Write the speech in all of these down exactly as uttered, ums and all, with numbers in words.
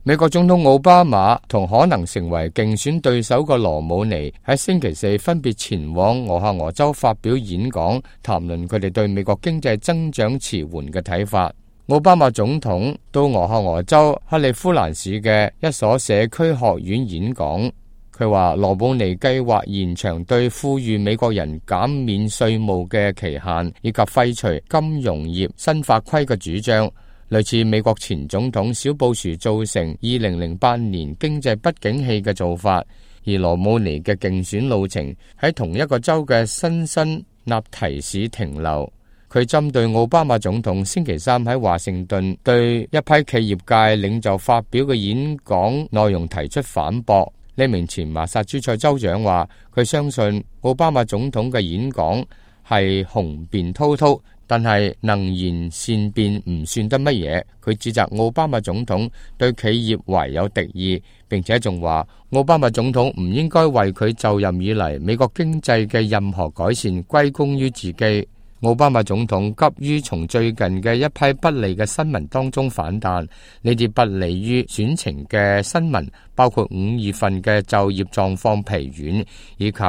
美國總統奧巴馬同可能成為競選對手嘅羅姆尼喺星期四分別前往俄亥俄州發表演講，談論佢哋對美國經濟增長遲緩嘅睇法。奧巴馬總統到俄亥俄州克利夫蘭市嘅一所社區學院演講，佢話羅姆尼計劃延長對富裕美國人減免稅務嘅期限，以及廢除金融業新法規嘅主張，類似美國前總統小布殊造成二零零八年經濟不景氣嘅做法。而羅姆尼嘅競選路程喺同一個州嘅辛辛那提市停留。佢針對奧巴馬總統星期三喺華盛頓對一批企業界領袖發表嘅演講內容提出反駁。呢名前麻薩諸塞州長話，佢相信奧巴馬總統嘅演講係雄辯滔滔，但係能言善辯唔算得乜嘢。佢指責奧巴馬總統對企業懷有敵意，並且仲話奧巴馬總統唔應該為佢就任以嚟美國經濟嘅任何改善歸功於自己。奧巴馬總統急於從最近嘅一批不利嘅新聞當中反彈，呢啲不利於選情嘅新聞包括五月份嘅就業狀況疲軟，以及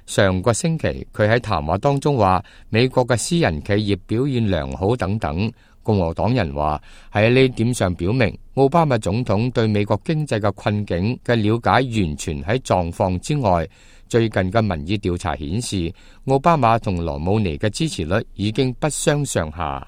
上個星期佢喺談話當中話美國嘅私人企業表現良好等等。共和黨人話喺呢點上表明奧巴馬總統對美國經濟嘅困境嘅了解完全喺狀況之外。最近嘅民意調查顯示，奧巴馬同羅姆尼嘅支持率已經不相上下。